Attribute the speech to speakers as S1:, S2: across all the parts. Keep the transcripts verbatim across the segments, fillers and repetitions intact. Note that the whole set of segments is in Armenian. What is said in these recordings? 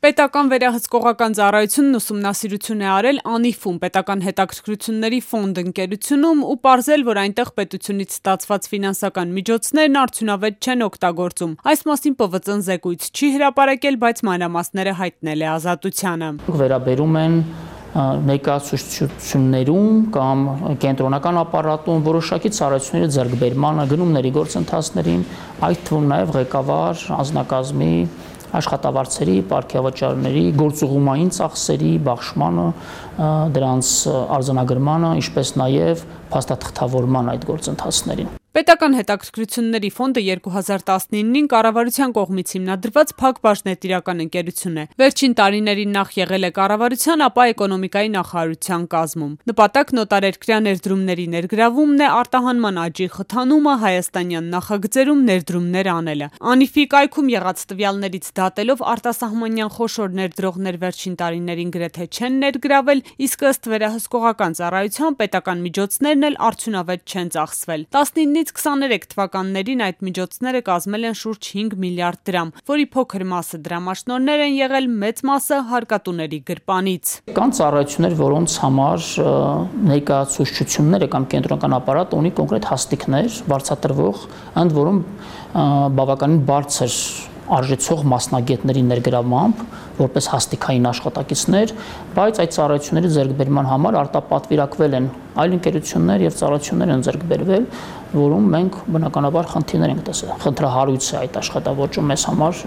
S1: Պետական վերահսկողական ծառայությունն ուսումնասիրություն է արել անիֆում պետական հետաքրքրությունների ֆոնդ ընկերությունում ու պարզել, որ այնտեղ պետությունից ստացված ֆինանսական միջոցներն արդյունավետ չեն օգտագործում։ Այս մասին Պ V Ծ-ն զեկույց չի հրապարակել, բայց մանրամասները հայտնել է Ազատությանը։
S2: Վերաբերում են ներկայացուցչություններում կամ կենտրոնական ապարատում որոշակի ծառայությունների ձեռքբերմանը, գնումների գործընթացներին, այդ թվում նաև ղեկավար անձնակազմի աշխատավարձերի, պարգևաճարների, գործուղումային ծախսերի բաշխմանը, դրանց արձանագրմանը, ինչպես նաև փաստաթղթավորման այդ գործընթացներին։
S1: Պետական հետաքրքրությունների ֆոնդը երկու հազար տասնինին կառավարության կողմից հիմնադրված փակ բաժնետիրական ընկերություն է։ Վերջին տարիներին նախ եղել է կառավարության, ապա էկոնոմիկայի նախարարության կազմում։ Նպատակն օտարերկրյա ներդրումների ներգրավումն է, արտահանման աճի խթանումը, հայաստանյան նախագծերում ներդրումներ անելը։ Անիֆի կայքում եղած տվյալներից դատելով արտասահմանյան խոշոր ներդրողներ վերջին տարիներին գրեթե չեն ներգրավել, իսկ ըստ վերահսկողական ծառայության պետական միջոցներն էլ արդյունավետ չեն ծախսվել։ տասնինից քսաներեք թվականներին այդ միջոցները կազմել են շուրջ հինգ միլիարդ դրամ, որի փոքր մասը դրամաշնորհներ են եղել, մեծ մասը հարկատուների գրպանից։
S2: Կան ծառայություններ, որոնց համար ներկայացուցչությունները կամ կենտրոնական ապարատը ունի կոնկրետ հաստիքներ, բարձրատրվող, ընդ որում բավականին բարձր արժեցող մասնագետների ներգրավմամբ, որպես հաստիքային աշխատակիցներ, բայց այդ ծառայությունների ձեռքբերման համար արտապատվիրակվել են այլ ընկերություններ եւ ծառայություններ են ձեռքբերվել, որում մենք բնականաբար խնդիրներ ենք տեսել։ Խնդրահարույց է այդ աշխատավոճը մեզ համար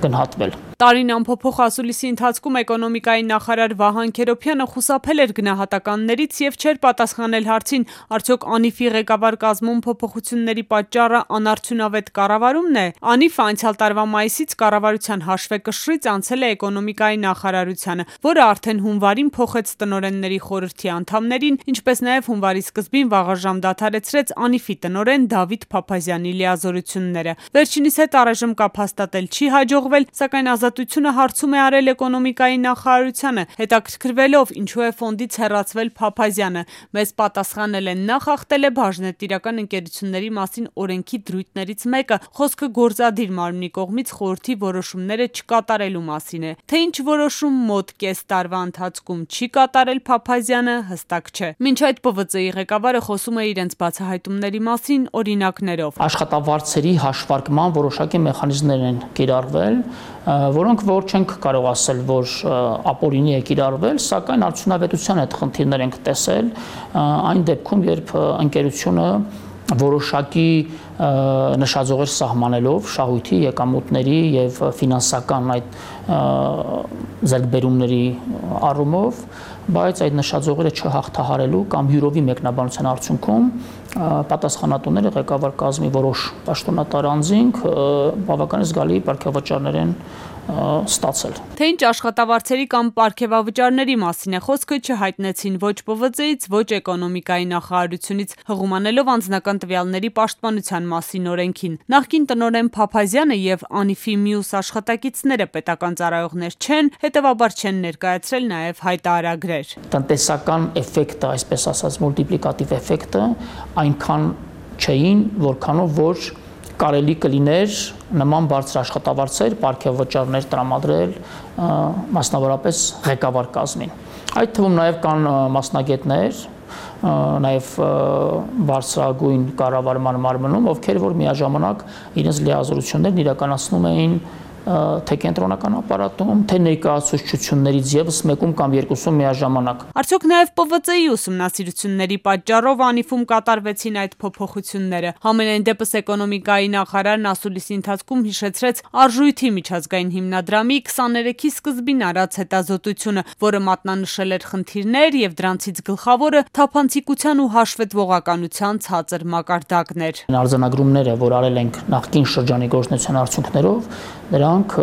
S2: գնահատվել։
S1: Տարին ամփոփող ասուլիսի ընթացքում էկոնոմիկայի նախարար Վահան Քերոբյանը խուսափել էր գնահատականներից եւ չէր պատասխանել հարցին, արդյոք Անիֆի ղեկավար կազմում փոփոխությունների պատճառը անարդյունավետ կառավարումն է։ Անիֆը անցյալ տարվա մայիսից կառավարության հաշվեկշռից անցել է էկոնոմիկայի նախարարությանը, որը արդեն հունվարին փոխեց տնօրենների խորհրդի անդամներին, ինչպես նաեւ հունվարի սկզբին վաղաժամ դադարեցրեց Անիֆի տնօրեն Դավիթ Փափազյանի լիազորությունները։ Վերջինիս հետ առայժմ կապ հաստատել չի հաջողվել, սակայն Ազատությունը հարցում է արել էկոնոմիկայի նախարարությանը, հետաքրքրվելով ինչու է ֆոնդից հեռացվել Փափազյանը։ Մեզ պատասխանել են նա խախտել է բաժնետիրական ընկերությունների մասին օրենքի դրույթներից մեկը, խոսքը գործադիր մարմնի կողմից խորհրդի որոշումները չկատարելու մասին է։ Թե ինչ որոշում մոտ կես տարվա ընթացքում չի կատարել Փափազյանը, հստակ չէ։ Մինչ այդ Պ V Ծ-ի ղեկավարը խոսում է իրենց բացահայտումների մասին օրինակներով։
S2: Աշխատավարձերի հաշվարկման որոշակի մեխանիզմներ են կիրառվել, որոնք որ չենք կարող ասել, որ ապօրինի է կիրառվել, սակայն արդյունավետության այդ խնդիրներ ենք տեսել այն դեպքում, երբ ընկերությունը որոշակի նշաձողեր սահմանելով շահույթի եկամուտների եւ ֆինանսական այդ ձեռքբերումների առումով, բայց այդ նշաձողերը չհաղթահարելու կամ յուրովի մեկնաբանության արդյունքում պատասխանատուները ղեկավար կազմի որոշ պաշտոնատար անձինք բավականին զգալի պարգևաճարներ են ստացել։
S1: Թե ինչ աշխատավարձերի կամ պարգևավճարների մասին է խոսքը չհայտնեցին ոչ Պ V Ծ-ից, ոչ էկոնոմիկայի նախարարությունից, հղումանելով անձնական տվյալների պաշտպանության մասին օրենքին։ Նախկին տնօրեն Փափազյանը եւ Անիֆի մյուս աշխատակիցները պետական ծառայողներ չեն, հետեւաբար չեն ներկայացրել նաեւ հայտարարագրեր։
S2: Տնտեսական էֆեկտը, այսպես ասած, մուլտիպլիկատիվ էֆեկտը այնքան չէին, որքանով որ կարելի կլիներ նման բարձր աշխատավարձեր, պարգևաճարներ տրամադրել մասնավորապես ղեկավար կազմին։ Այդ թվում նաև կան մասնագետներ, նաև բարձրագույն կառավարման մարմնում, ովքեր որ միաժամանակ իրենց լիազորություններն իրականացնում էին թե կենտրոնական ապարատում, թե ներկայացուցչություններից եւս մեկում կամ երկուսում միաժամանակ։
S1: Արդյոք նաև Պ V Ծ-ի ուսումնասիրությունների պատճառով Անիֆում կատարվեցին այդ փոփոխությունները։ Համենայն դեպս էկոնոմիկայի նախարարն ասուլիսի ընթացքում հիշեցրեց արժույթի միջազգային հիմնադրամի քսաներեքի սկզբին արած հետազոտությունը, որը մատնանշել էր խնդիրներ եւ դրանցից գլխավորը թափանցիկության ու հաշվետվողականության ցածր մակարդակն էր։
S2: Արձանագրումները, որ արել ենք նախկին շրջանի գործունեության արդյունքներով, դրանք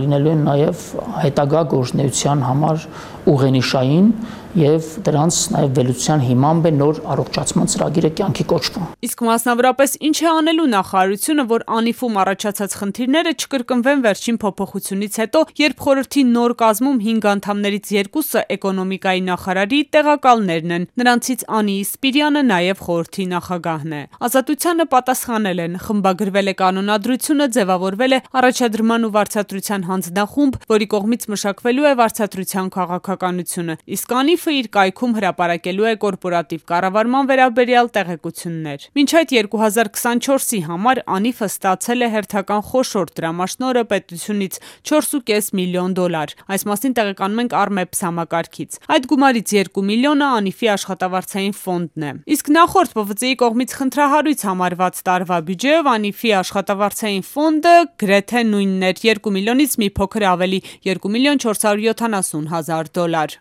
S2: լինելու են նաև հետագա գործունեության համար ուղենիշային եւ դրանց նաև վերլուծության հիմամբ է նոր առողջացման ծրագիրը կյանքի կոչվում։
S1: Իսկ մասնավորապես ինչ է անելու նախարարությունը, որ Անիֆում առաջացած խնդիրները չկրկնվեն վերջին փոփոխությունից հետո, երբ խորհրդի նոր կազմում հինգ անդամներից երկուսը էկոնոմիկայի նախարարի տեղակալներն են, նրանցից Անի Իսպիրյանը նաև խորհրդի նախագահն է։ Ազատությանը պատասխանել են, խմբագրվել է կանոնադրությունը, ձևավորվել է առաջադրման կառավարման ու վարձատրության հանձնախումբ, որի կողմից մշակվելու է վարձատրության քաղաքականությունը, իսկ անիֆը իր կայքում հրապարակելու է կորպորատիվ կառավարման վերաբերյալ տեղեկություններ։ Մինչ այդ երկու հազար քսանչորսի համար անիֆը ստացել է հերթական խոշոր դրամաշնորհը պետությունից չորս ու կես միլիոն դոլար։ Այս մասին տեղեկանում ենք Armeps համակարգից։ Այդ գումարից երկու միլիոնը անիֆի աշխատավարձային ֆոնդն է։ Իսկ նախորդ Պ V C-ի կողմից խնդրահարույց համարված տարվա բյուջեով անիֆի աշխատավարձային ֆոնդը գրեթե նույնն էր՝ երկու միլիոնից մի փոքր ավելի՝ երկու միլիոն չորս հարյուր յոթանասուն հազար դոլար։